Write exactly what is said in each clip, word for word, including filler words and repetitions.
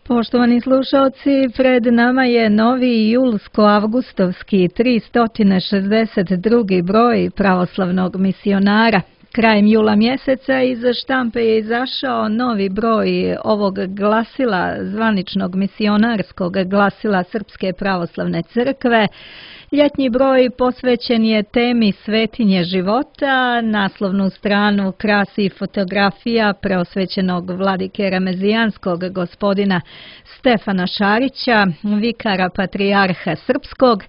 Poštovani slušalci, pred nama je novi julsko-avgustovski tristo šezdeset drugi broj pravoslavnog misionara. Krajem jula mjeseca iz štampe je izašao novi broj ovog glasila, zvaničnog misionarskog glasila Srpske pravoslavne crkve. Ljetnji broj posvećen je temi Svetinje života, naslovnu stranu krasi fotografija preosvećenog vladike Remezijanskog gospodina Stefana Šarića, vikara patrijarha Srpskog.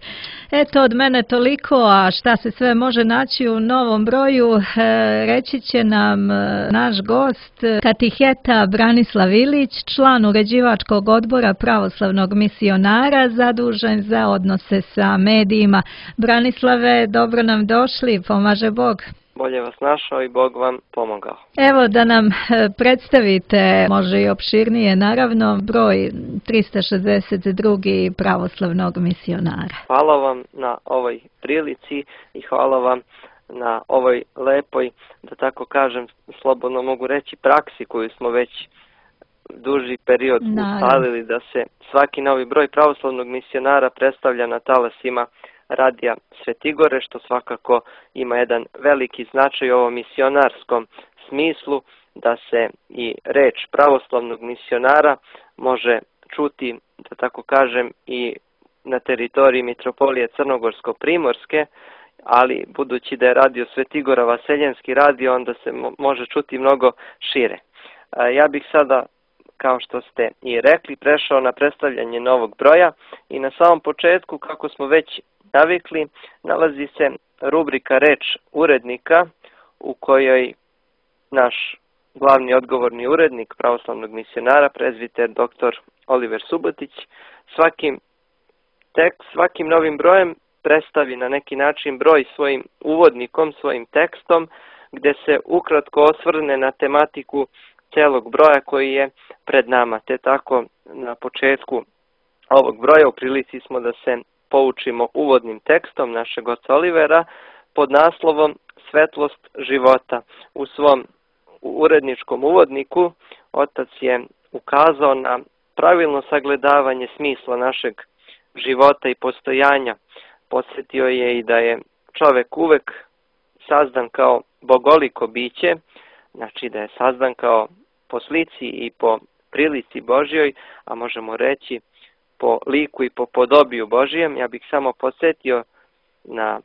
Eto, od mene toliko, a šta se sve može naći u novom broju, reći će nam naš gost, katiheta Branislav Ilić, član uređivačkog odbora pravoslavnog misionara, zadužen za odnose sa medijima. Branislave, dobro nam došli, pomaže Bog. Bolje vas našao i Bog vam pomogao. Evo da nam predstavite, može i opširnije naravno, broj tristo šezdeset drugi pravoslavnog misionara. Hvala vam na ovoj prilici i hvala vam na ovoj lepoj, da tako kažem, slobodno mogu reći, praksi koju smo već duži period ustalili, da se svaki novi broj pravoslavnog misionara predstavlja na talasima Radija Svetigore, što svakako ima jedan veliki značaj u ovom misionarskom smislu, da se i reč pravoslavnog misionara može čuti, da tako kažem, i na teritoriji Mitropolije Crnogorsko-Primorske, ali budući da je Radio Svetigora vaseljenski radio, onda se može čuti mnogo šire. Ja bih sada, kao što ste i rekli, prešao na predstavljanje novog broja i na samom početku, kako smo već navikli, nalazi se rubrika Reč urednika, u kojoj naš glavni odgovorni urednik pravoslavnog misionara, prezbiter doktor Oliver Subotić, svakim, tekst, svakim novim brojem predstavi na neki način broj svojim uvodnikom, svojim tekstom, gdje se ukratko osvrne na tematiku celog broja koji je pred nama. Te tako na početku ovog broja u prilici smo da se poučimo uvodnim tekstom našeg oca Olivera pod naslovom Svetlost života. U svom uredničkom uvodniku otac je ukazao na pravilno sagledavanje smisla našeg života i postojanja. Podsjetio je i da je čovek uvek sazdan kao bogoliko biće, znači da je sazdan kao po slici i po prilici Božjoj, a možemo reći po liku i po podobiju Božijem. Ja bih samo podsjetio na,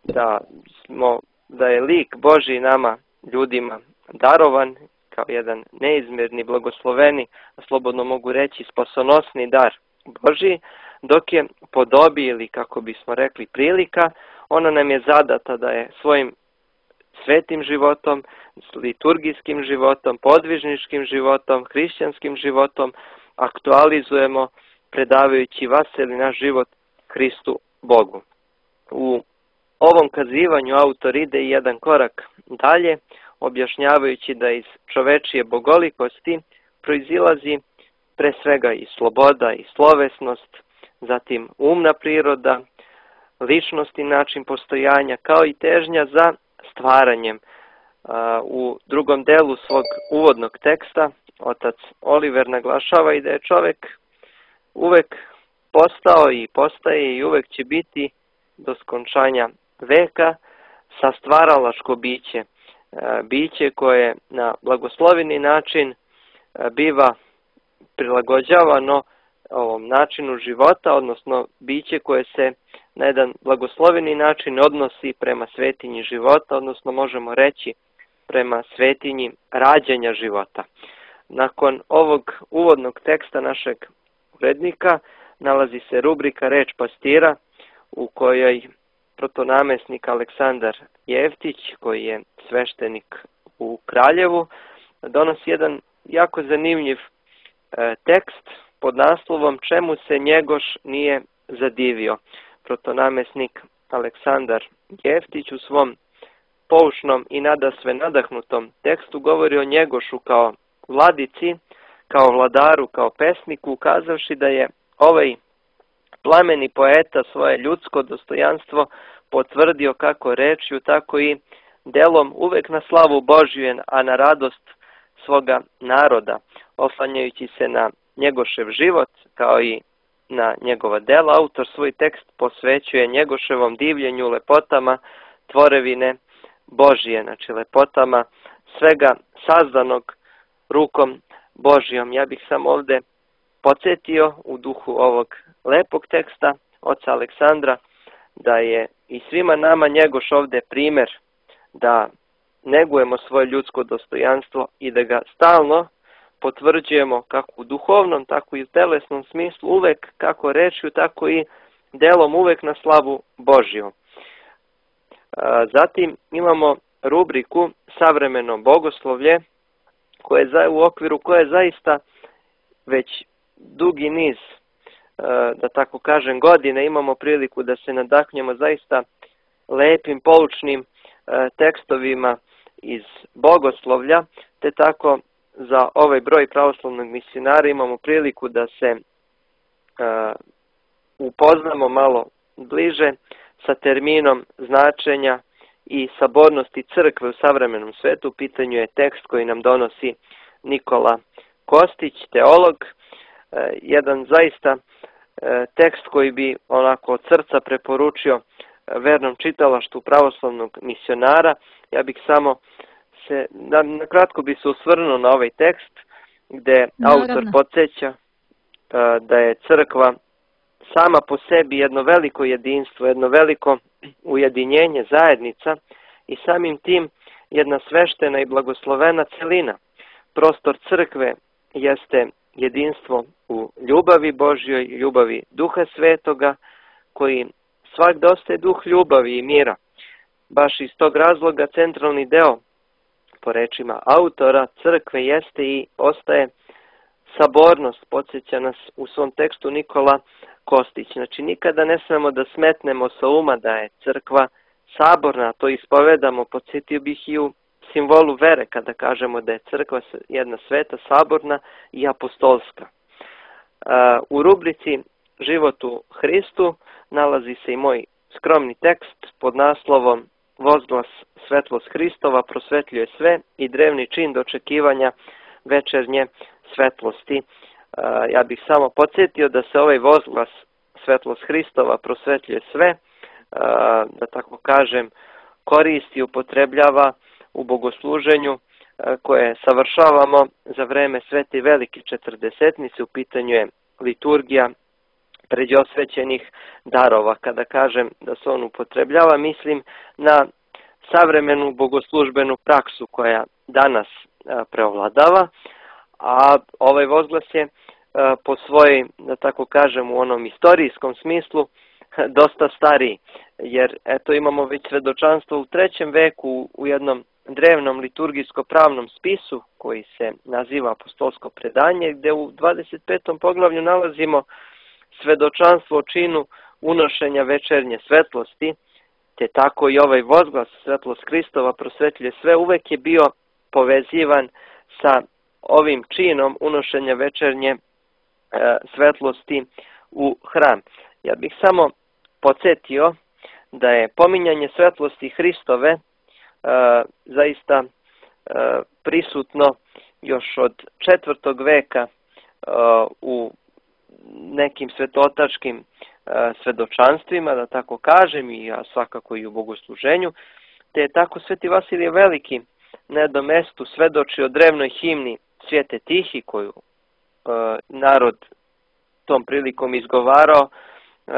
da, smo, da je lik Božji nama, ljudima, darovan kao jedan neizmjerni, blagosloveni, a slobodno mogu reći spasonosni dar Božji, dok je podobi ili, kako bismo rekli, prilika, ona nam je zadata da je svojim svetim životom, liturgijskim životom, podvižničkim životom, hrišćanskim životom aktualizujemo, predavajući vaseli naš život Hristu Bogu. U ovom kazivanju autor ide i jedan korak dalje, objašnjavajući da iz čovečije bogolikosti proizilazi pre svega i sloboda i slovesnost, zatim umna priroda, ličnost i način postojanja, kao i težnja za stvaranjem. U drugom delu svog uvodnog teksta otac Oliver naglašava i da je čovek uvek postao i postaje i uvek će biti do skončanja veka sastvaralačko biće. Biće koje na blagosloveni način biva prilagođavano ovom načinu života, odnosno biće koje se na jedan blagosloveni način odnosi prema svetinji života, odnosno možemo reći prema svetinji rađanja života. Nakon ovog uvodnog teksta našeg urednika nalazi se rubrika Reč pastira, u kojoj protonamesnik Aleksandar Jeftić, koji je sveštenik u Kraljevu, donosi jedan jako zanimljiv e, tekst pod naslovom Čemu se Njegoš nije zadivio. Protonamesnik Aleksandar Jeftić u svom poučnom i nadasve nadahnutom tekstu govori o Njegošu kao vladici, kao vladaru, kao pesniku, ukazavši da je ovaj plameni poeta svoje ljudsko dostojanstvo potvrdio kako rečju, tako i delom uvek na slavu Božju, a na radost svoga naroda, oslanjajući se na Njegošev život kao i na njegova dela. Autor svoj tekst posvećuje Njegoševom divljenju, lepotama tvorevine Božije, znači lepotama svega sazdanog rukom Božijom. Ja bih samo ovdje podsjetio u duhu ovog lepog teksta oca Aleksandra da je i svima nama Njegoš ovdje primjer da negujemo svoje ljudsko dostojanstvo i da ga stalno potvrđujemo kako u duhovnom, tako i u telesnom smislu, uvek kako rečju, tako i delom, uvek na slavu Božju. Zatim imamo rubriku Savremeno bogoslovlje, koje u okviru koje zaista već dugi niz, da tako kažem, godine imamo priliku da se nadahnemo zaista lepim, poučnim tekstovima iz bogoslovlja, te tako za ovaj broj pravoslavnog misionara imamo priliku da se uh, upoznamo malo bliže sa terminom značenja i sabornosti crkve u savremenom svetu. U pitanju je tekst koji nam donosi Nikola Kostić, teolog, uh, jedan zaista uh, tekst koji bi onako od srca preporučio vernom čitalaštvu pravoslavnog misionara. Ja bih samo se, na, na kratko bi se osvrnuo na ovaj tekst gdje autor podsjeća uh, da je crkva sama po sebi jedno veliko jedinstvo, jedno veliko ujedinjenje, zajednica i samim tim jedna sveštena i blagoslovena celina. Prostor crkve jeste jedinstvo u ljubavi Božjoj, ljubavi Duha Svetoga, koji svak dostaje duh ljubavi i mira. Baš iz tog razloga centralni deo, po rečima autora, crkve jeste i ostaje sabornost, podsjeća nas u svom tekstu Nikola Kostić. Znači nikada ne smemo da smetnemo sa uma da je crkva saborna, to ispovedamo, podsjetio bih i u simbolu vere kada kažemo da je crkva jedna sveta, saborna i apostolska. U rubrici Život u Hristu nalazi se i moj skromni tekst pod naslovom Vozglas svetlost Hristova prosvetljuje sve i drevni čin dočekivanja večernje svetlosti. Ja bih samo podsjetio da se ovaj vozglas svetlost Hristova prosvetljuje sve, da tako kažem, koristi i upotrebljava u bogosluženju koje savršavamo za vreme svete i velike četrdesetnice. U pitanju je liturgija pređosvećenih darova. Kada kažem da se on upotrebljava, mislim na savremenu bogoslužbenu praksu koja danas preovladava, a ovaj vozglas je po svojoj, da tako kažem, u onom istorijskom smislu dosta stariji, jer eto imamo već svedočanstvo u trećem veku u jednom drevnom liturgijsko-pravnom spisu koji se naziva Apostolsko predanje, gdje u dvadeset petom poglavlju nalazimo svedočanstvo o činu unošenja večernje svetlosti, te tako i ovaj vozglas svetlost Hristova prosvetljuje sve, uvek je bio povezivan sa ovim činom unošenja večernje e, svetlosti u hram. Ja bih samo podsjetio da je pominjanje svetlosti Hristove e, zaista e, prisutno još od četvrtog veka e, u nekim svetotačkim e, svedočanstvima, da tako kažem, i ja svakako i u bogosluženju, te je tako Sveti Vasilije Veliki na jednom mestu svedoči o drevnoj himni Svijete Tihi, koju e, narod tom prilikom izgovarao e,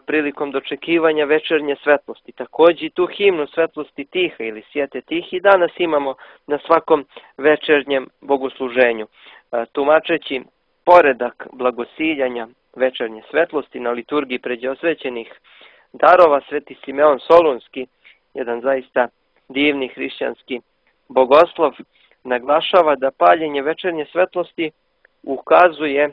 prilikom dočekivanja večernje svetlosti. Također i tu himnu Svetlosti Tiha ili Svijete Tihi danas imamo na svakom večernjem bogosluženju. E, tumačeći poredak blagosiljanja večernje svetlosti na liturgiji pređosvećenih darova, Sveti Simeon Solunski, jedan zaista divni hrišćanski bogoslov, naglašava da paljenje večernje svetlosti ukazuje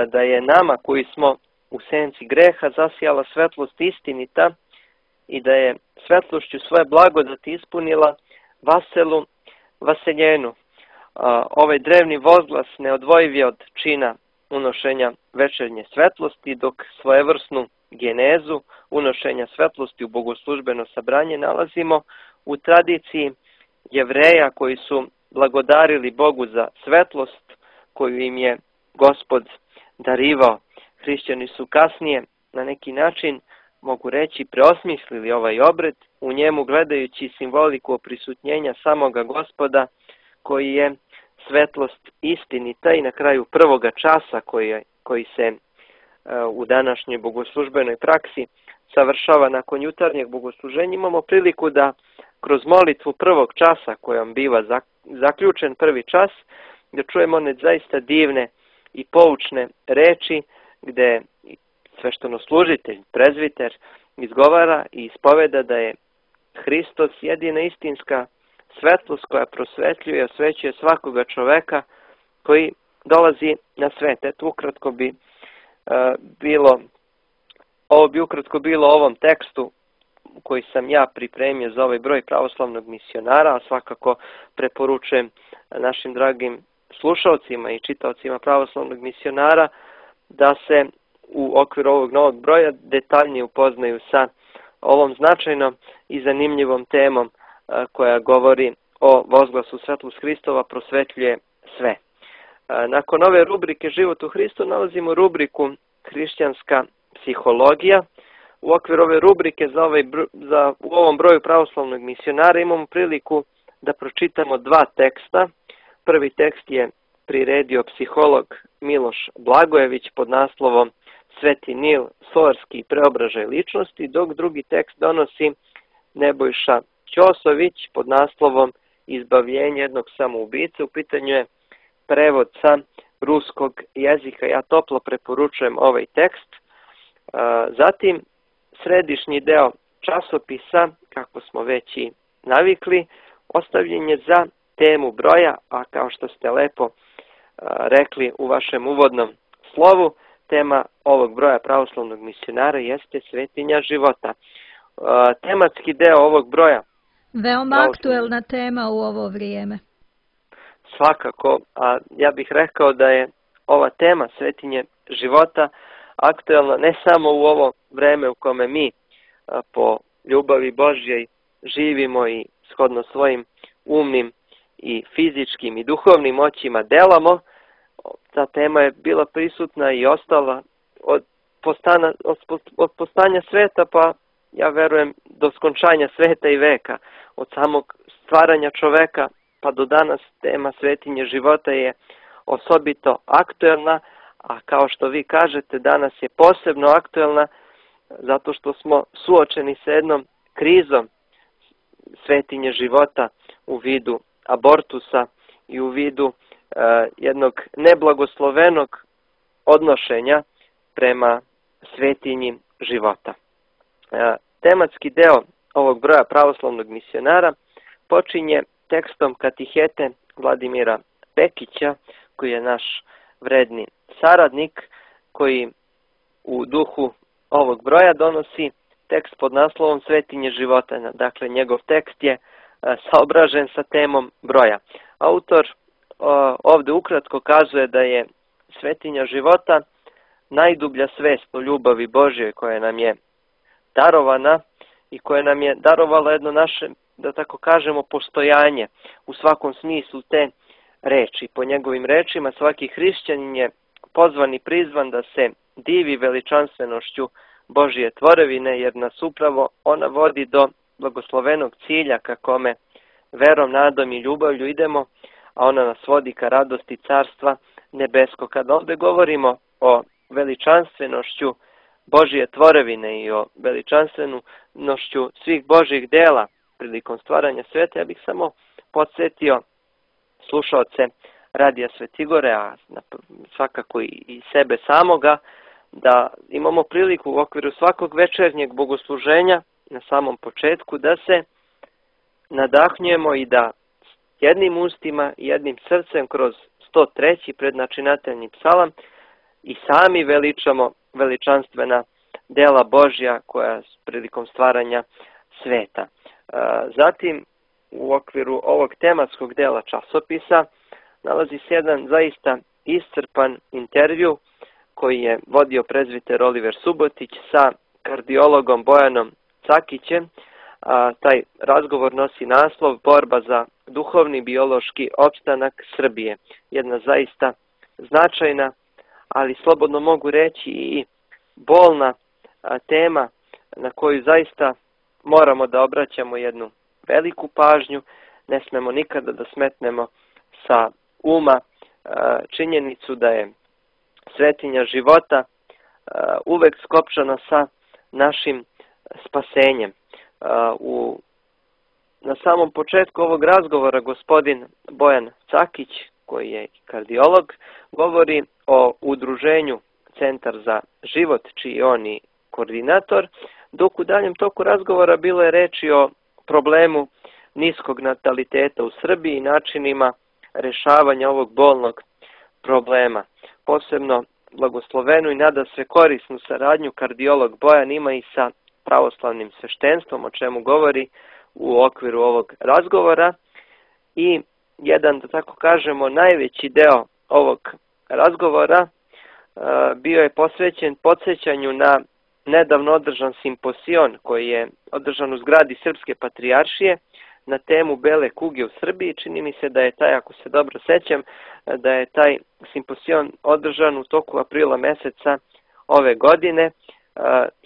da je nama koji smo u senci greha zasijala svetlost istinita i da je svetlošću svoje blagodati ispunila vaselu vaseljenu. Ovaj drevni vozglas neodvojiv je od čina unošenja večernje svetlosti, dok svojevrsnu genezu unošenja svetlosti u bogoslužbeno sabranje nalazimo u tradiciji Jevreja koji su blagodarili Bogu za svetlost koju im je Gospod darivao. Hrišćani su kasnije na neki način, mogu reći, preosmislili ovaj obred, u njemu gledajući simboliku oprisutnjenja samoga Gospoda, koji je svetlost istinita i na kraju prvoga časa koji, koji se u današnjoj bogoslužbenoj praksi savršava nakon jutarnjeg bogosluženja. Imamo priliku da kroz molitvu prvog časa kojom biva zaključen prvi čas, da čujemo one zaista divne i poučne reči gde sveštenoslужitelj, prezviter, izgovara i ispoveda da je Hristos jedina istinska svetlost koja prosvetljuje i osvećuje svakoga čoveka koji dolazi na svet. Eto, ukratko bi uh, bilo, ovo bi ukratko bilo ovom tekstu koji sam ja pripremio za ovaj broj pravoslavnog misionara, a svakako preporučujem našim dragim slušalcima i čitaocima pravoslavnog misionara da se u okviru ovog novog broja detaljnije upoznaju sa ovom značajnom i zanimljivom temom koja govori o vozglasu svetlost Hristova prosvetljuje sve. Nakon ove rubrike Život u Hristu nalazimo rubriku Hrišćanska psihologija. U okviru ove rubrike za ovaj, za, u ovom broju pravoslavnog misionara imamo priliku da pročitamo dva teksta. Prvi tekst je priredio psiholog Miloš Blagojević pod naslovom Sveti Nil, solarski preobražaj ličnosti, dok drugi tekst donosi Nebojša Ćosović pod naslovom Izbavljenje jednog samoubice. U pitanju je prevod sa ruskog jezika. Ja toplo preporučujem ovaj tekst. Zatim, središnji deo časopisa, kako smo već i navikli, ostavljen je za temu broja, a kao što ste lepo rekli u vašem uvodnom slovu, tema ovog broja pravoslavnog misionara jeste svetinja života. Tematski deo ovog broja. Veoma aktuelna tema u ovo vrijeme. Svakako, a ja bih rekao da je ova tema svetinje života aktuelna ne samo u ovo vreme u kome mi po ljubavi Božjoj živimo i shodno svojim umnim i fizičkim i duhovnim moćima delamo. Ta tema je bila prisutna i ostala od, postana, od postanja sveta, pa ja verujem do skončanja sveta i veka. Od samog stvaranja čoveka pa do danas tema svetinje života je osobito aktuelna, a kao što vi kažete, danas je posebno aktuelna zato što smo suočeni sa jednom krizom svetinje života u vidu abortusa i u vidu uh, jednog neblagoslovenog odnošenja prema svetinji života. Uh, tematski deo ovog broja pravoslavnog misionara počinje tekstom katihete Vladimira Pekića, koji je naš vredni saradnik, koji u duhu ovog broja donosi tekst pod naslovom Svetinje života. Dakle, njegov tekst je saobražen sa temom broja. Autor ovdje ukratko kazuje da je svetinja života najdublja svest o ljubavi Božjoj koja nam je darovana i koja nam je darovala jedno naše, da tako kažemo, postojanje u svakom smislu te reči. Po njegovim rečima svaki hrišćanin je pozvan i prizvan da se divi veličanstvenošću Božje tvorevine, jer nas upravo ona vodi do blagoslovenog cilja ka kome verom, nadom i ljubavlju idemo, a ona nas vodi ka radosti carstva nebesko. Kada ovdje govorimo o veličanstvenošću Božje tvorevine i o veličanstvenošću svih Božjih dela prilikom stvaranja sveta, ja bih samo podsjetio slušaoce Radija Svetigore, a svakako i sebe samoga, da imamo priliku u okviru svakog večernjeg bogosluženja na samom početku da se nadahnjujemo i da jednim ustima i jednim srcem kroz sto treći prednačinateljni psalam i sami veličamo veličanstvena dela Božja koja prilikom stvaranja sveta. Zatim, u okviru ovog tematskog dela časopisa nalazi se jedan zaista iscrpan intervju koji je vodio prezviter Oliver Subotić sa kardiologom Bojanom Cakićem. A, taj razgovor nosi naslov Borba za duhovni biološki opstanak Srbije. Jedna zaista značajna ali slobodno mogu reći i bolna tema na koju zaista moramo da obraćamo jednu veliku pažnju. Ne smemo nikada da smetnemo sa uma činjenicu da je svetinja života uvek skopčana sa našim spasenjem. U, na samom početku ovog razgovora gospodin Bojan Cakić, koji je kardiolog, govori o udruženju Centar za život, čiji je on i koordinator, dok u daljem toku razgovora bilo je reči o problemu niskog nataliteta u Srbiji i načinima rešavanja ovog bolnog problema. Posebno blagoslovenu i nada sve korisnu saradnju kardiolog Bojan ima i sa pravoslavnim sveštenstvom, o čemu govori u okviru ovog razgovora. I jedan, da tako kažemo, najveći deo ovog razgovora bio je posvećen podsjećanju na nedavno održan simposion koji je održan u zgradi Srpske patrijaršije na temu bele kuge u Srbiji. Čini mi se da je taj, ako se dobro sećam, da je taj simposion održan u toku aprila meseca ove godine.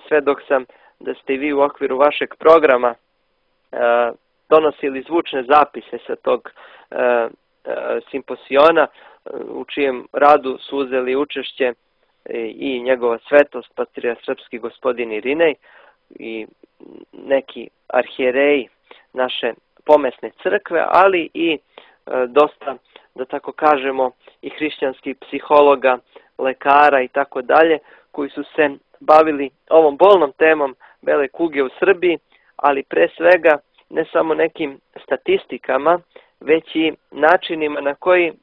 Sve dok sam da ste i vi u okviru vašeg programa donosili zvučne zapise sa tog simposiona, u čijem radu su uzeli učešće i njegova svetost, patrijarh srpski gospodin Irinej i neki arhijereji naše pomesne crkve, ali i dosta, da tako kažemo, i hrišćanskih psihologa, lekara i tako dalje, koji su se bavili ovom bolnom temom bele kuge u Srbiji, ali pre svega ne samo nekim statistikama, već i načinima na koji,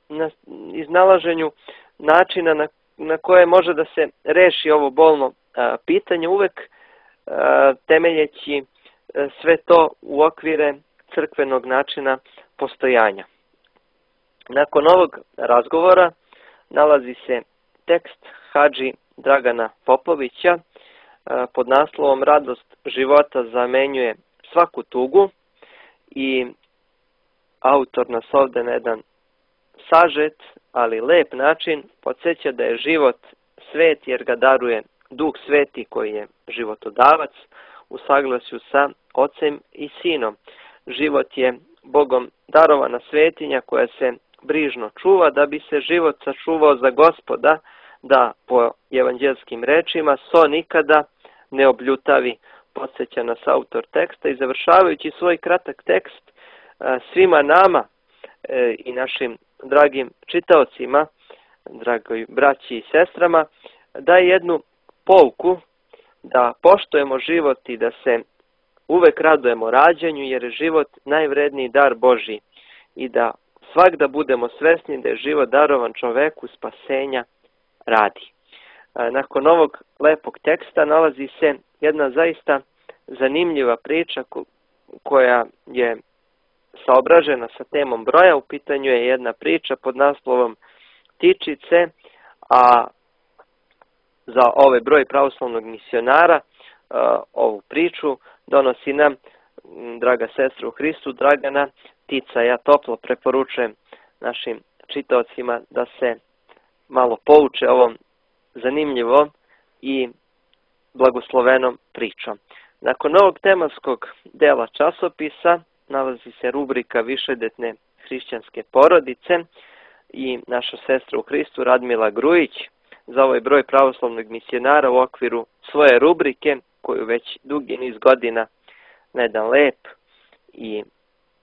na iznalaženju načina na, na koje može da se reši ovo bolno a, pitanje, uvek a, temeljeći a, sve to u okvire crkvenog načina postojanja. Nakon ovog razgovora nalazi se tekst hadži Dragana Popovića a, pod naslovom Radost života zamenjuje svaku tugu, i autor nas ovde na jedan sažet, ali lep način podsjeća da je život svet jer ga daruje Duh Sveti koji je životodavac u saglasju sa Ocem i Sinom. Život je Bogom darovana svetinja koja se brižno čuva da bi se život sačuvao za Gospoda, da po evanđelskim rečima so nikada ne obljutavi, podsjeća nas autor teksta. I završavajući svoj kratak tekst svima nama i našim dragim čitaocima, dragoj braći i sestrama, daje jednu pouku da poštujemo život i da se uvek radujemo rađanju, jer je život najvredniji dar Božji, i da svakda budemo svesni da je život darovan čoveku spasenja radi. Nakon ovog lepog teksta nalazi se jedna zaista zanimljiva priča koja je saobražena sa temom broja. U pitanju je jedna priča pod naslovom Tičice, a za ovaj broj pravoslavnog misionara ovu priču donosi nam draga sestra u Hristu Dragana Tica. Ja toplo preporučujem našim čitaocima da se malo pouče ovom zanimljivom i blagoslovenom pričom. Nakon ovog tematskog dela časopisa nalazi se rubrika Višedetne hrišćanske porodice i naša sestra u Hristu Radmila Grujić za ovaj broj pravoslavnog misionara u okviru svoje rubrike, koju već dugi niz godina na jedan lep i,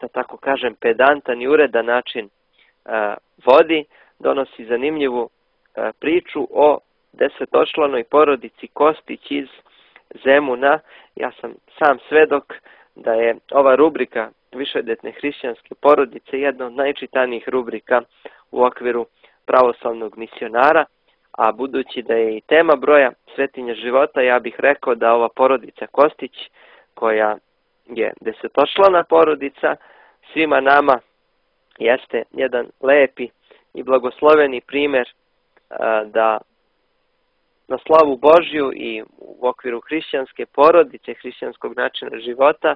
da tako kažem, pedantan i uredan način a, vodi, donosi zanimljivu a, priču o desetočlanoj porodici Kostić iz Zemuna. Ja sam sam svedok da je ova rubrika Višedetne hrišćanske porodice jedna od najčitanijih rubrika u okviru pravoslavnog misionara, a budući da je i tema broja svetinja života, ja bih rekao da ova porodica Kostić, koja je desetočlana porodica, svima nama jeste jedan lepi i blagosloveni primer da na slavu Božju i u okviru hrišćanske porodice, hrišćanskog načina života,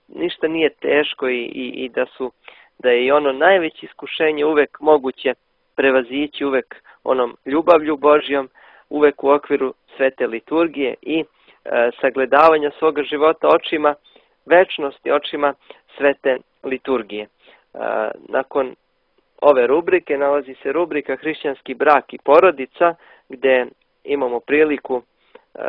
ništa nije teško i, i, i da su da je i ono najveće iskušenje uvek moguće prevazići uvek onom ljubavlju Božjom, uvek u okviru svete liturgije i e, sagledavanja svoga života očima večnosti, očima svete liturgije. E, nakon ove rubrike nalazi se rubrika Hrišćanski brak i porodica, gde imamo priliku e,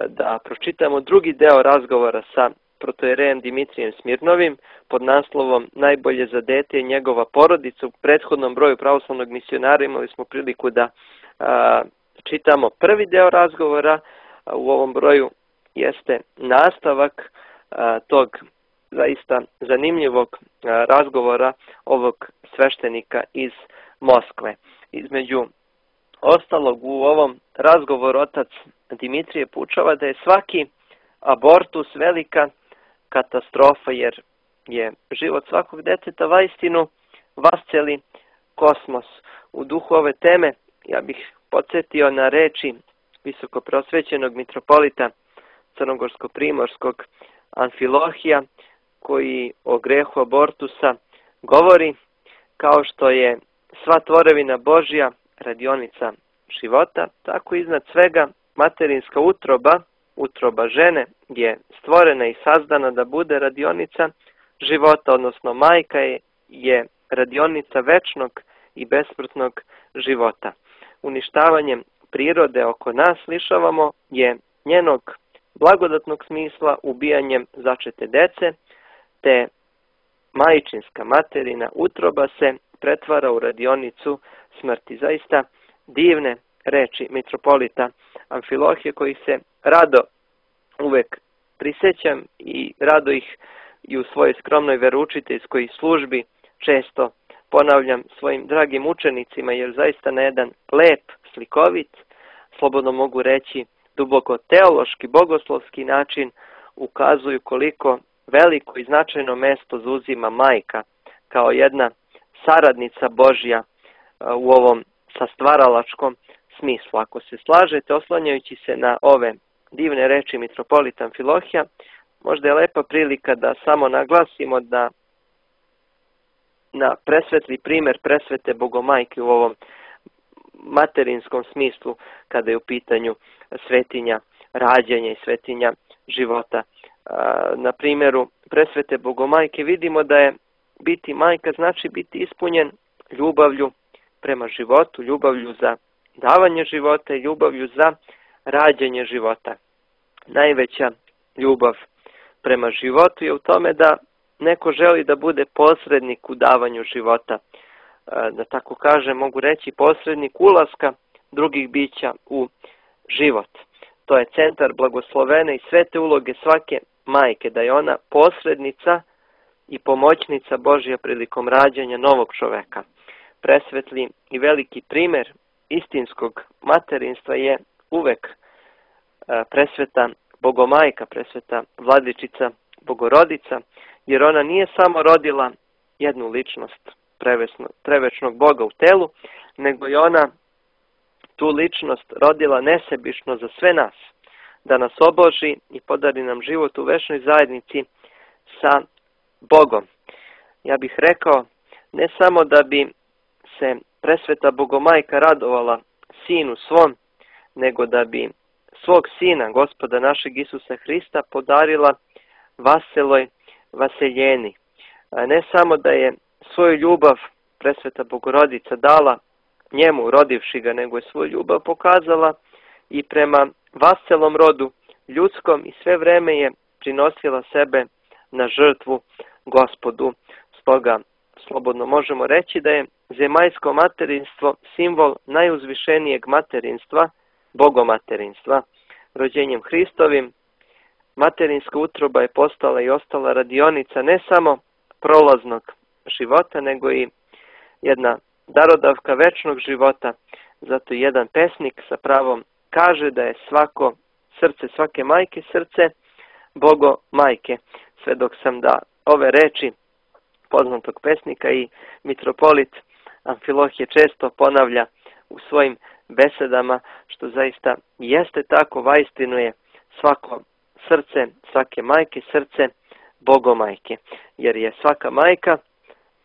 da pročitamo drugi deo razgovora sa protojerejem Dimitrijem Smirnovim pod naslovom Najbolje za dete i njegova porodica. U prethodnom broju pravoslavnog misionara imali smo priliku da a, čitamo prvi deo razgovora, a u ovom broju jeste nastavak a, tog zaista zanimljivog a, razgovora ovog sveštenika iz Moskve. Između ostalog u ovom razgovoru otac Dimitrije poučava da je svaki abortus velika katastrofa, jer je život svakog deteta vaistinu vasceli kosmos. U duhu ove teme ja bih podsjetio na reči visokoprosvećenog mitropolita crnogorsko-primorskog Amfilohija, koji o grehu abortusa govori: kao što je sva tvorevina Božja radionica života, tako iznad svega materinska utroba, utroba žene, je stvorena i sazdana da bude radionica života, odnosno majka je, je radionica večnog i besmrtnog života. Uništavanjem prirode oko nas lišavamo je njenog blagodatnog smisla ubijanjem začete dece, te majčinska materina utroba se pretvara u radionicu smrti. Zaista divne reči mitropolita Amfilohije, koji se rado uvek prisjećam i rado ih i u svojoj skromnoj veroučiteljskoj službi često ponavljam svojim dragim učenicima, jer zaista na jedan lep, slikovit, slobodno mogu reći duboko teološki, bogoslovski način ukazuju koliko veliko i značajno mesto zauzima majka kao jedna saradnica Božja u ovom sastvaralačkom smislu. Ako se slažete, oslanjajući se na ove divne reči mitropolita Amfilohija, možda je lepa prilika da samo naglasimo da na presvetli primer presvete Bogomajke u ovom materinskom smislu, kada je u pitanju svetinja rađanja i svetinja života. Na primjeru presvete Bogomajke vidimo da je biti majka znači biti ispunjen ljubavlju prema životu, ljubavlju za davanje života i ljubavlju za rađanje života. Najveća ljubav prema životu je u tome da neko želi da bude posrednik u davanju života. Da tako kažem, mogu reći posrednik ulaska drugih bića u život. To je centar blagoslovene i svete uloge svake majke, da je ona posrednica i pomoćnica Božja prilikom rađanja novog čoveka. Presvetli i veliki primjer istinskog materinstva je uvek presveta Bogomajka, presveta Vladičica Bogorodica, jer ona nije samo rodila jednu ličnost prevečnog Boga u telu, nego je ona tu ličnost rodila nesebično za sve nas, da nas obloži i podari nam život u večnoj zajednici sa Bogom. Ja bih rekao, ne samo da bi se presveta Bogomajka radovala sinu svom, nego da bi svog sina, Gospoda našeg Isusa Hrista, podarila vaseloj vaseljeni. Ne samo da je svoju ljubav presveta Bogorodica dala njemu, rodivši ga, nego je svoju ljubav pokazala i prema vaselom rodu ljudskom i sve vreme je prinosila sebe na žrtvu Gospodu. Stoga slobodno možemo reći da je zemaljsko materinstvo simbol najuzvišenijeg materinstva, bogomaterinstva. Rođenjem Hristovim materinska utroba je postala i ostala radionica ne samo prolaznog života, nego i jedna darodavka večnog života. Zato jedan pesnik sa pravom kaže da je svako srce svake majke srce Bogo majke. Sve dok sam da ove reči poznatog pesnika i mitropolit Amfilohije često ponavlja u svojim besedama, što zaista jeste tako, vaistinu je svako srce svake majke srce Bogomajke, jer je svaka majka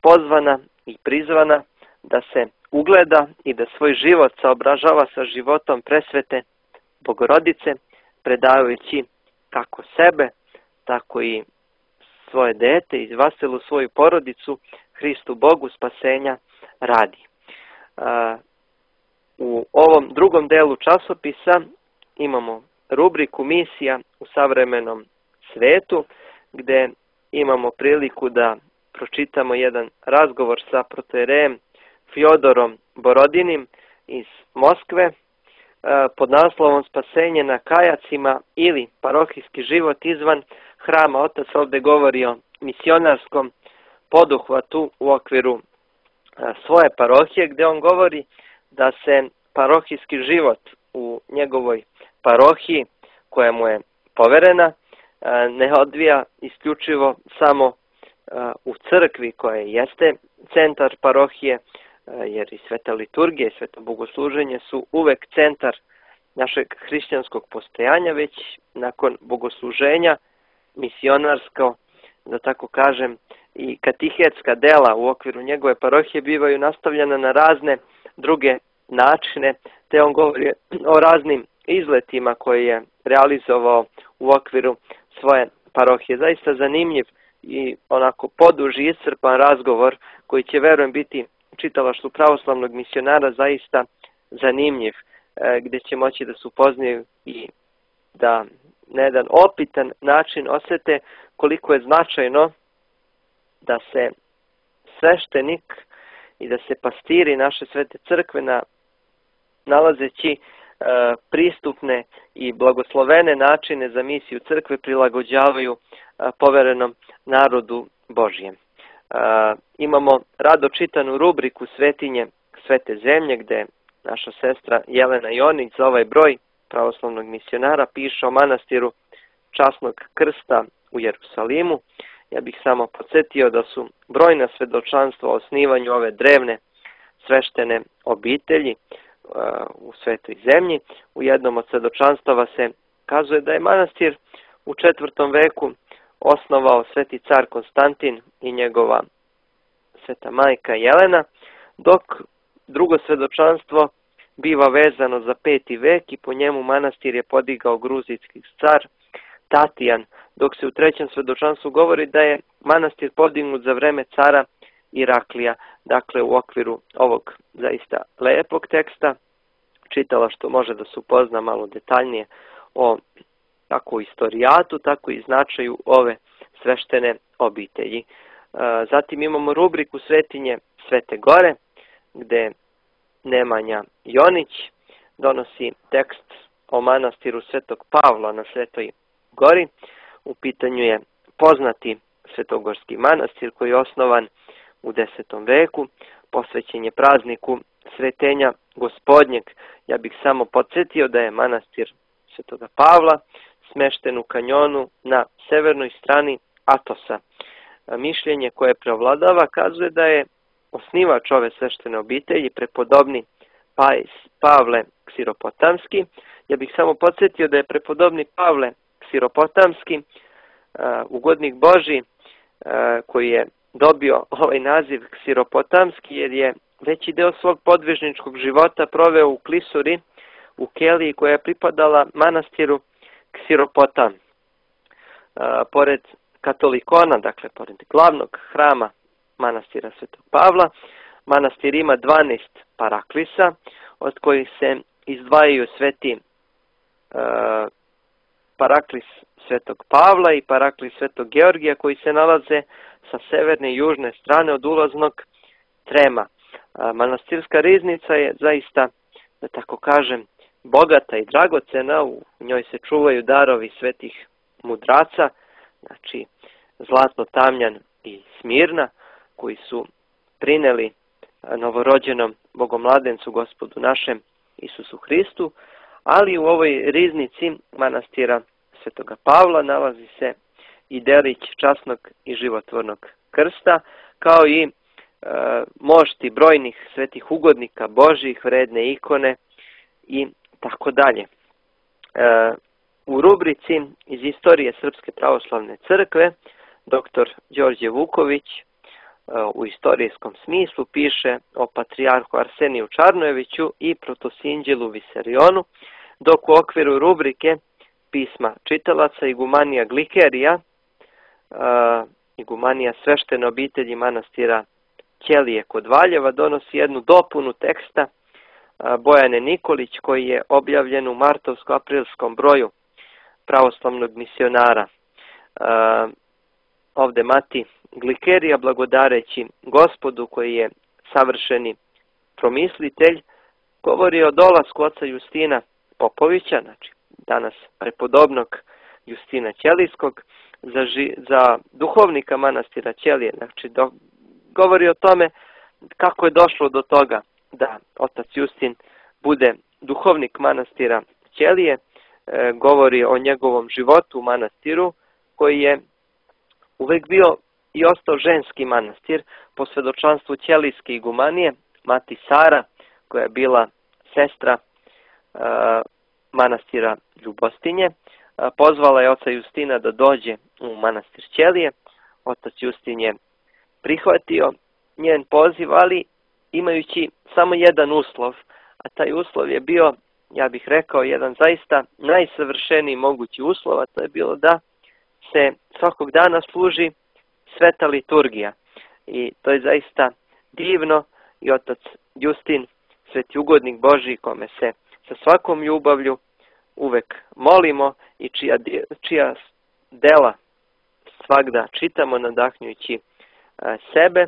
pozvana i prizvana da se ugleda i da svoj život saobražava sa životom presvete Bogorodice, predajući kako sebe, tako i svoje dete i vaselu svoju porodicu Hristu Bogu spasenja radi. U ovom drugom delu časopisa imamo rubriku Misija u savremenom svetu, gde imamo priliku da pročitamo jedan razgovor sa protojerejem Fjodorom Borodinim iz Moskve pod naslovom Spasenje na kajacima ili parohijski život izvan hrama. Otac ovdje govori o misionarskom poduhvatu u okviru svoje parohije, gdje on govori da se parohijski život u njegovoj parohiji koja mu je poverena ne odvija isključivo samo u crkvi koja jeste centar parohije, jer i sveta liturgija i sveto bogosluženje su uvek centar našeg hrišćanskog postojanja, već nakon bogosluženja misionarsko, da tako kažem, i katehetska dela u okviru njegove parohije bivaju nastavljena na razne druge načine, te on govori o raznim izletima koje je realizovao u okviru svoje parohije. Zaista zanimljiv i onako poduži iscrpan razgovor koji će, verujem, biti čitalaštvu pravoslavnog misionara zaista zanimljiv, gdje će moći da se upoznaju i da na jedan opitan način osjete koliko je značajno da se sveštenik i da se pastiri naše svete crkve na, nalazeći e, pristupne i blagoslovene načine za misiju crkve prilagođavaju e, poverenom narodu Božjem. E, imamo rado čitanu rubriku Svetinje svete zemlje, gde naša sestra Jelena Jonić za ovaj broj pravoslavnog misionara piše o manastiru Časnog krsta u Jerusalimu. Ja bih samo podsjetio da su brojna svedočanstva o osnivanju ove drevne sveštene obitelji uh, u svetoj zemlji. U jednom od svedočanstava se kazuje da je manastir u četvrtom veku osnovao sveti car Konstantin i njegova sveta majka Jelena, dok drugo svedočanstvo biva vezano za peti vek i po njemu manastir je podigao gruzijski car Tatijan, dok se u trećem svedočanstvu govori da je manastir podignut za vreme cara Iraklija. Dakle, u okviru ovog zaista lepog teksta čitala što može da se upozna malo detaljnije o kako istorijatu, tako i značaju ove sveštene obitelji. Zatim imamo rubriku Svetinje Svete Gore, gde Nemanja Jonić donosi tekst o manastiru Svetog Pavla na Svetoj Gori. U pitanju je poznati svetogorski manastir koji je osnovan u desetom veku, posvećen je prazniku Svetenja Gospodnjeg. Ja bih samo podsjetio da je manastir Svetoga Pavla smešten u kanjonu na severnoj strani Atosa. Mišljenje koje preovladava kazuje da je osnivač ove sveštene obitelji prepodobni Pavle Ksiropotamski. Ja bih samo podsjetio da je prepodobni Pavle Ksiropotamski ugodnik Božji koji je dobio ovaj naziv Ksiropotamski jer je veći deo svog podvižničkog života proveo u klisuri u keliji koja je pripadala manastiru Ksiropotam. Pored katolikona, dakle pored glavnog hrama manastira Svetog Pavla, manastir ima dvanaest paraklisa, od kojih se izdvajaju sveti uh, paraklis Svetog Pavla i paraklis Svetog Georgija, koji se nalaze sa severne i južne strane od ulaznog trema. Uh, manastirska riznica je zaista, da tako kažem, bogata i dragocena, u njoj se čuvaju darovi svetih mudraca, znači Zlatno Tamjan i Smirna, koji su prineli novorođenom Bogomladencu Gospodu našem Isusu Hristu, ali u ovoj riznici manastira Svetoga Pavla nalazi se i delić časnog i životvornog krsta, kao i e, mošti brojnih svetih ugodnika Božjih, vredne ikone i tako dalje. E, u rubrici iz istorije Srpske pravoslavne crkve doktor Đorđe Vuković u istorijskom smislu piše o patrijarhu Arseniju Čarnojeviću i protosinđelu Visarionu, dok u okviru rubrike pisma čitalaca igumanija Glikerija, igumanija sveštene obitelji manastira Ćelije kod Valjeva, donosi jednu dopunu teksta Bojane Nikolić koji je objavljen u martovsko-aprilskom broju pravoslavnog misionara. Ovde mati Glikerija, blagodareći Gospodu koji je savršeni promislitelj, govori o dolasku oca Justina Popovića, znači danas prepodobnog Justina Ćelijskog, za, ži, za duhovnika manastira Ćelije. Znači do, govori o tome kako je došlo do toga da otac Justin bude duhovnik manastira Ćelije, e, govori o njegovom životu u manastiru koji je uvek bio i ostao ženski manastir po svedočanstvu Ćelijske igumanije, mati Sara, koja je bila sestra e, manastira Ljubostinje. E, pozvala je oca Justina da dođe u manastir Ćelije. Otac Justin je prihvatio njen poziv, ali imajući samo jedan uslov, a taj uslov je bio, ja bih rekao, jedan zaista najsavršeniji mogući uslov, a to je bilo da se svakog dana služi sveta liturgija. I to je zaista divno i otac Justin, sveti ugodnik Božji, kome se sa svakom ljubavlju uvek molimo i čija, čija dela svagda čitamo nadahnjujući sebe,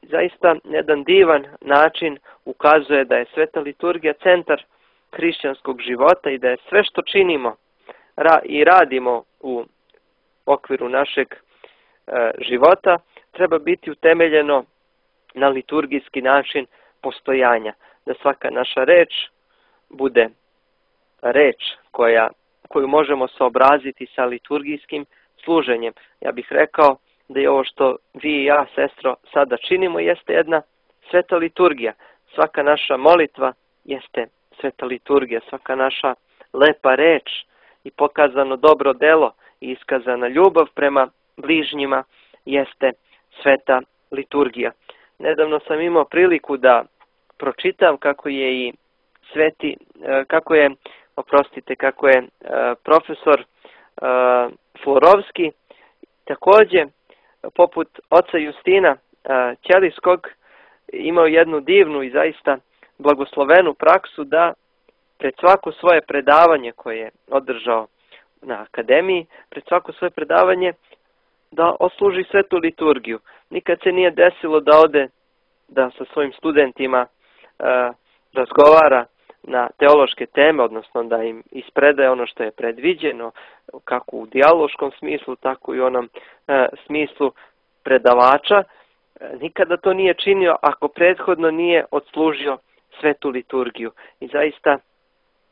zaista jedan divan način ukazuje da je sveta liturgija centar hrišćanskog života i da je sve što činimo i radimo u okviru našeg života treba biti utemeljeno na liturgijski način postojanja. Da svaka naša reč bude reč koja, koju možemo saobraziti sa liturgijskim služenjem. Ja bih rekao da je ovo što vi i ja, sestro, sada činimo jeste jedna sveta liturgija. Svaka naša molitva jeste sveta liturgija. Svaka naša lepa reč i pokazano dobro delo i iskazana ljubav prema bližnjima jeste sveta liturgija. Nedavno sam imao priliku da pročitam kako je i sveti, kako je, oprostite, kako je profesor Florovski također poput oca Justina Ćelijskog imao jednu divnu i zaista blagoslovenu praksu da pred svako svoje predavanje koje je održao na akademiji, pred svako svoje predavanje da osluži svetu liturgiju. Nikad se nije desilo da ode da sa svojim studentima e, razgovara na teološke teme, odnosno da im ispredaje ono što je predviđeno, kako u dijaloškom smislu, tako i u onom e, smislu predavača. E, nikada to nije činio ako prethodno nije odslužio svetu liturgiju. I zaista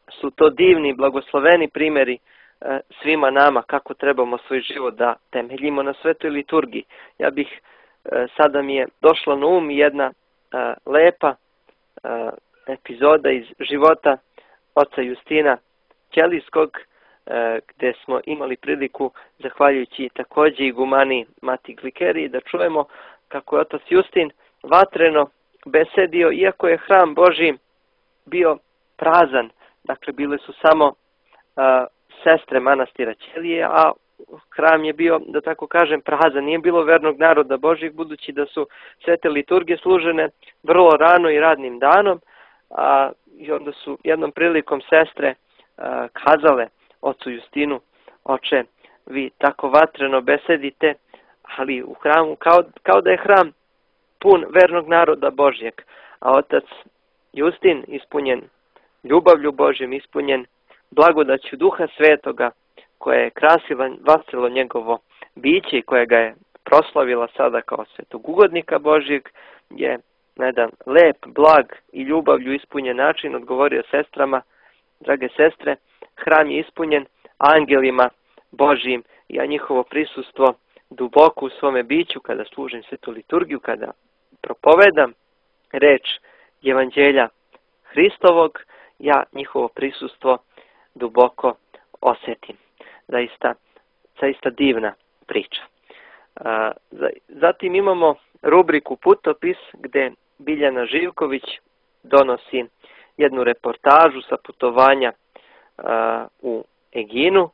su to divni, blagosloveni primjeri e, svima nama kako trebamo svoj život da temeljimo na svetoj liturgiji. Ja bih, e, sada mi je došla na um jedna e, lepa e, epizoda iz života oca Justina Ćelijskog, e, gdje smo imali priliku, zahvaljujući također igumani mati Glikeriji, da čujemo kako je otac Justin vatreno besedio, iako je hram Božji bio prazan. Dakle, bile su samo a, sestre manastira Ćelije, a hram je bio, da tako kažem, prazan. Nije bilo vernog naroda Božjeg, budući da su svete liturgije služene vrlo rano i radnim danom. A, I onda su jednom prilikom sestre a, kazale ocu Justinu: oče, vi tako vatreno besedite, ali u hramu, kao, kao da je hram pun vernog naroda Božjeg. A otac Justin, ispunjen ljubavlju Božjom, ispunjen blagodaću Duha Svetoga, koje je krasilo, vasilo njegovo biće i koje ga je proslavila sada kao svetog ugodnika Božjeg, je na jedan lep, blag i ljubavlju ispunjen način odgovorio sestrama: drage sestre, hram je ispunjen angelima Božjim i ja njihovo prisustvo duboko u svome biću kada služim svetu liturgiju, kada propovedam reč evanđelja Hristovog, ja njihovo prisustvo duboko osjetim. Zaista, zaista divna priča. Zatim imamo rubriku Putopis gdje Biljana Živković donosi jednu reportažu sa putovanja u Eginu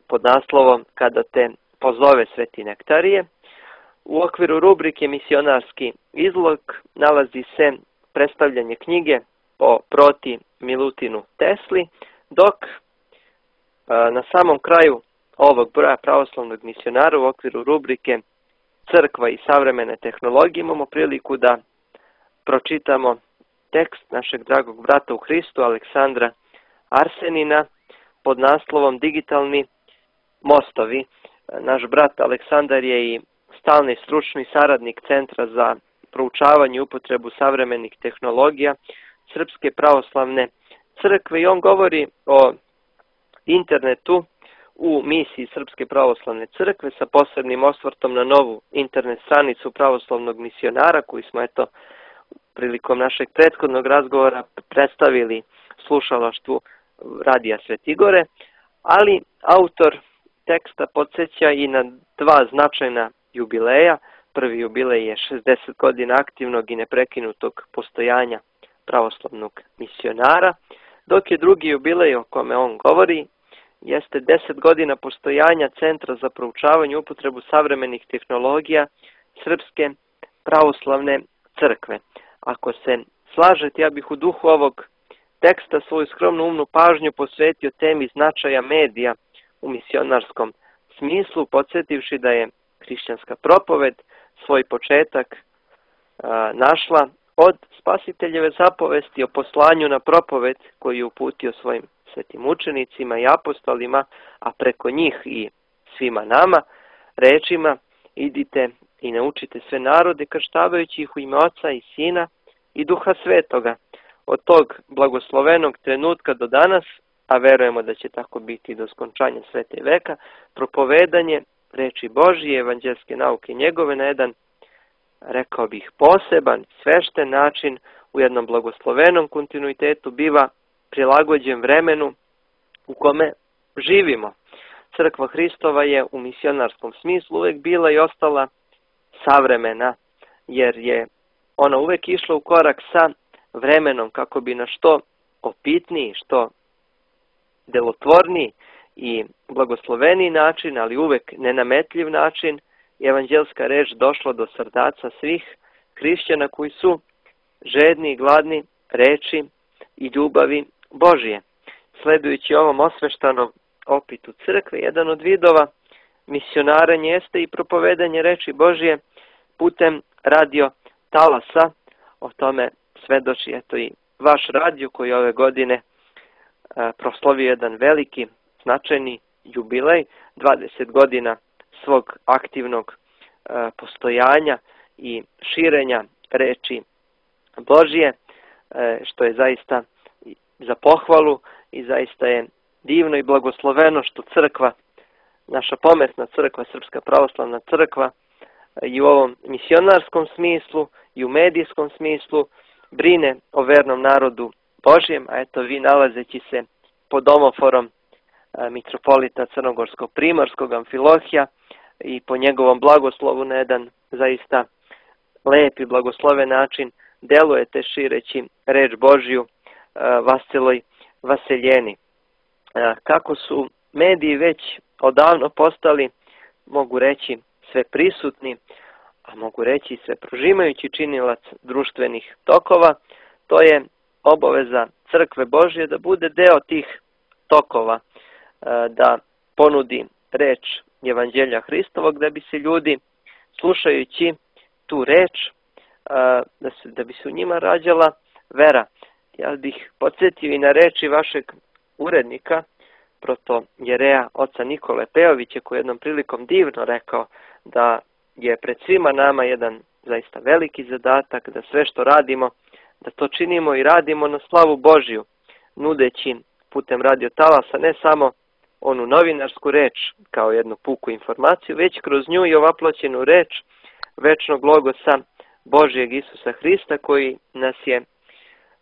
pod naslovom Kada te pozove Sveti Nektarije. U okviru rubrike Misionarski izlog nalazi se predstavljanje knjige o proti Milutinu Tesli, dok na samom kraju ovog broja pravoslavnog misionara u okviru rubrike Crkva i savremene tehnologije imamo priliku da pročitamo tekst našeg dragog brata u Hristu Aleksandra Arsenina pod naslovom Digitalni mostovi. Naš brat Aleksandar je i stalni stručni saradnik Centra za proučavanje i upotrebu savremenih tehnologija Srpske pravoslavne crkve i on govori o internetu u misiji Srpske pravoslavne crkve sa posebnim osvrtom na novu internet stranicu pravoslavnog misionara koju smo eto prilikom našeg prethodnog razgovora predstavili slušalaštvu Radija Svetigore, ali autor teksta podsjeća i na dva značajna jubileja. Prvi jubilej je šezdeset godina aktivnog i neprekinutog postojanja pravoslavnog misionara, dok je drugi jubilej o kome on govori jeste deset godina postojanja Centra za proučavanje i upotrebu savremenih tehnologija Srpske pravoslavne crkve. Ako se slažete, ja bih u duhu ovog teksta svoju skromnu umnu pažnju posvetio temi značaja medija u misionarskom smislu, podsjetivši da je hrišćanska propoved svoj početak a, našla od Spasiteljeve zapovesti o poslanju na propoved koju je uputio svojim svetim učenicima i apostolima, a preko njih i svima nama, rečima: idite i naučite sve narode, krštavajući ih u ime Oca i Sina i Duha Svetoga. Od tog blagoslovenog trenutka do danas, a verujemo da će tako biti do skončanja svete veka, propovedanje reči Božije, evanđelske nauke njegove na jedan, rekao bih, poseban, svešten način u jednom blagoslovenom kontinuitetu biva prilagođen vremenu u kome živimo. Crkva Hristova je u misionarskom smislu uvek bila i ostala savremena, jer je ona uvek išla u korak sa vremenom kako bi na što opitniji, što delotvorniji i blagosloveniji način, ali uvek nenametljiv način, evanđelska reč došla do srdaca svih hrišćana koji su žedni i gladni reči i ljubavi Božije. Sledujući ovom osveštanom opitu crkve, jedan od vidova misionaranja jeste i propovedanje reči Božije putem radio talasa. O tome svedoči eto i vaš radio koji ove godine a, proslavio jedan veliki, značajni jubilej, dvadeset godina svog aktivnog a, postojanja i širenja reči Božije, a, što je zaista za pohvalu i zaista je divno i blagosloveno što crkva, naša pometna crkva, Srpska pravoslavna crkva, i u ovom misionarskom smislu i u medijskom smislu brine o vernom narodu Božjem, a eto vi nalazeći se pod omoforom mitropolita Crnogorsko-Primorskog Amfilohija i po njegovom blagoslovu na jedan zaista lep i blagosloven način delujete šireći reč Božju vasceloj vaseljeni. Kako su mediji već odavno postali, mogu reći, sve prisutni, a mogu reći sve prožimajući činilac društvenih tokova, to je obaveza Crkve Božje da bude deo tih tokova, da ponudi reč Evanđelja Hristovog, da bi se ljudi, slušajući tu reč, da, se, da bi se u njima rađala vera. Ja bih podsjetio i na reči vašeg urednika, protojereja oca Nikole Pejovića, koji je jednom prilikom divno rekao da je pred svima nama jedan zaista veliki zadatak, da sve što radimo, da to činimo i radimo na slavu Božju, nudeći putem radio talasa ne samo onu novinarsku reč kao jednu puku informaciju, već kroz nju i ovaploćenu reč večnog logosa Božijeg Isusa Hrista, koji nas je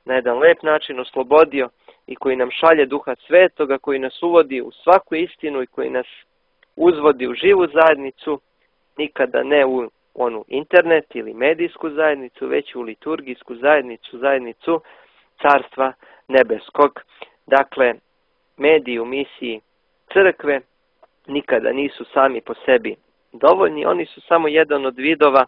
na jedan lep način oslobodio i koji nam šalje Duha Svetoga, koji nas uvodi u svaku istinu i koji nas uzvodi u živu zajednicu nikada ne u onu internet ili medijsku zajednicu, već u liturgijsku zajednicu, zajednicu Carstva nebeskog. Dakle, mediji u misiji crkve nikada nisu sami po sebi dovoljni, oni su samo jedan od vidova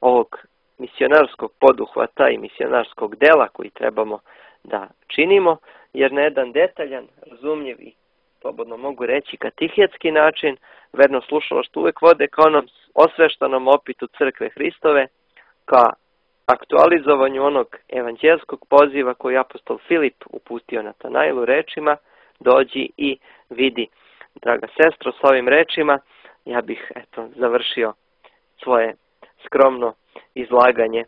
ovog misionarskog poduhvata i misionarskog dela koji trebamo da činimo, jer na jedan detaljan, razumljiv i slobodno mogu reći katehetski način, verno slušalaštvo uvek vode ka onom osveštanom opitu crkve Hristove, ka aktualizovanju onog evanđelskog poziva koji apostol Filip uputio Natanailu rečima: dođi i vidi. Draga sestro, s ovim rečima ja bih eto završio svoje skromno izlaganje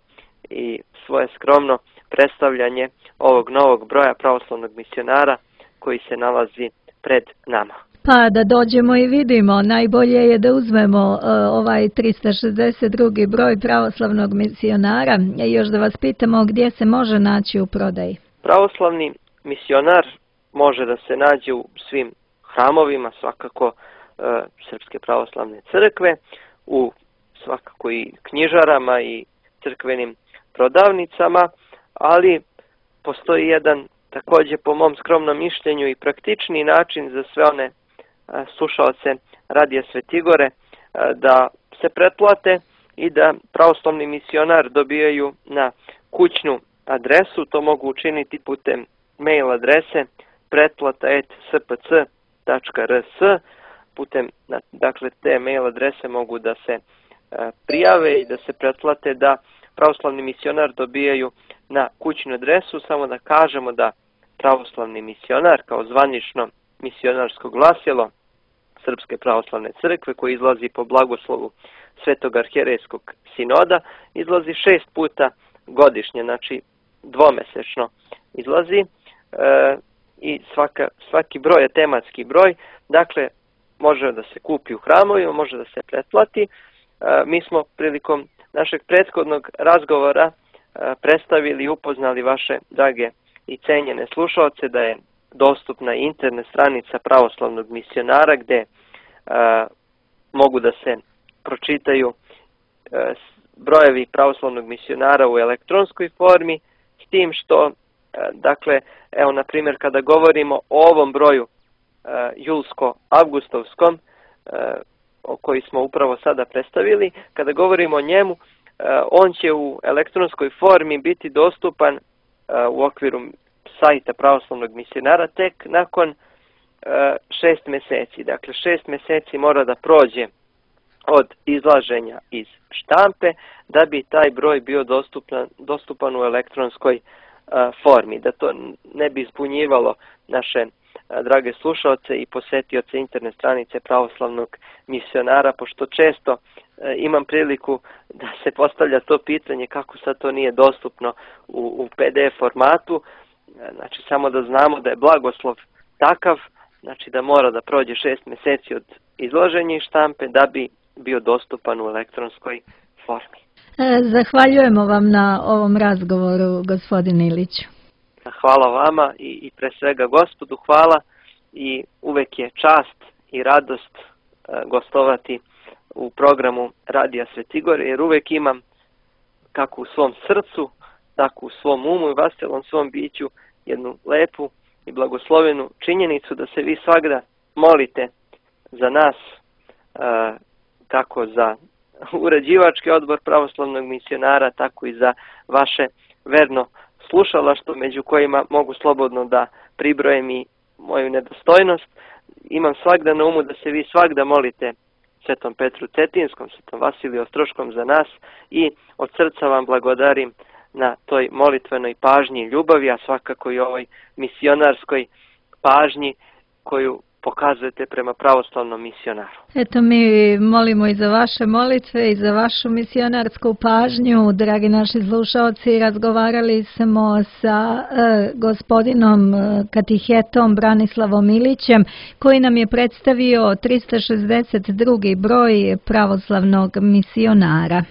i svoje skromno predstavljanje ovog novog broja pravoslavnog misionara koji se nalazi pred nama. Pa da dođemo i vidimo, najbolje je da uzmemo uh, ovaj trista šezdeset drugi broj pravoslavnog misionara i još da vas pitamo gdje se može naći u prodaji. Pravoslavni misionar može da se nađe u svim hramovima, svakako uh, Srpske pravoslavne crkve, u svakako i knjižarama i crkvenim prodavnicama, ali postoji jedan također po mom skromnom mišljenju i praktični način za sve one a, slušaoce Radija Svetigore a, da se pretplate i da pravoslavni misionar dobijaju na kućnu adresu. To mogu učiniti putem mail adrese pretplata et s p c tačka r s. Putem dakle, te mail adrese mogu da se a, prijave i da se pretplate da pravoslavni misionar dobijaju na kućnu adresu. Samo da kažemo da pravoslavni misionar kao zvanično misionarsko glasilo Srpske pravoslavne crkve koji izlazi po blagoslovu Svetog arhijerejskog sinoda izlazi šest puta godišnje, znači dvomesečno izlazi e, i svaka, svaki broj je tematski broj, dakle može da se kupi u hramovima, može da se pretplati. E, mi smo prilikom našeg prethodnog razgovora e, predstavili i upoznali vaše drage i cenjene slušalce da je dostupna internet stranica pravoslavnog misionara gde e, mogu da se pročitaju e, brojevi pravoslavnog misionara u elektronskoj formi, s tim što, e, dakle, evo na primjer kada govorimo o ovom broju e, julsko-avgustovskom, e, o koji smo upravo sada predstavili, kada govorimo o njemu, e, on će u elektronskoj formi biti dostupan u okviru sajta pravoslavnog misionara tek nakon šest mjeseci. Dakle, šest mjeseci mora da prođe od izlaženja iz štampe da bi taj broj bio dostupan, dostupan u elektronskoj formi. Da to ne bi zbunjivalo naše drage slušalce i posetioce internet stranice pravoslavnog misionara, pošto često imam priliku da se postavlja to pitanje kako sad to nije dostupno u, u pe de ef formatu. Znači samo da znamo da je blagoslov takav, znači da mora da prođe šest mjeseci od izlaženja iz štampe da bi bio dostupan u elektronskoj formi. Zahvaljujemo vam na ovom razgovoru, gospodin Iliću. Hvala vama i, i pre svega Gospodu hvala i uvek je čast i radost gostovati u programu Radija Svetigore, jer uvek imam kako u svom srcu, tako u svom umu i vaselom svom biću jednu lepu i blagoslovenu činjenicu da se vi svagda molite za nas, kako za uređivački odbor pravoslavnog misionara, tako i za vaše verno slušalaštvo, među kojima mogu slobodno da pribrojem i moju nedostojnost. Imam svagda na umu da se vi svagda molite Svetom Petru Cetinskom, Svetom Vasiliju Ostroškom za nas i od srca vam blagodarim na toj molitvenoj pažnji i ljubavi, a svakako i ovoj misionarskoj pažnji koju pokazujete prema pravoslavnom misionaru. Eto, mi molimo i za vaše molitve i za vašu misionarsku pažnju. Dragi naši slušalci, razgovarali smo sa e, gospodinom e, katehetom Branislavom Ilićem, koji nam je predstavio trista šezdeset drugi broj pravoslavnog misionara.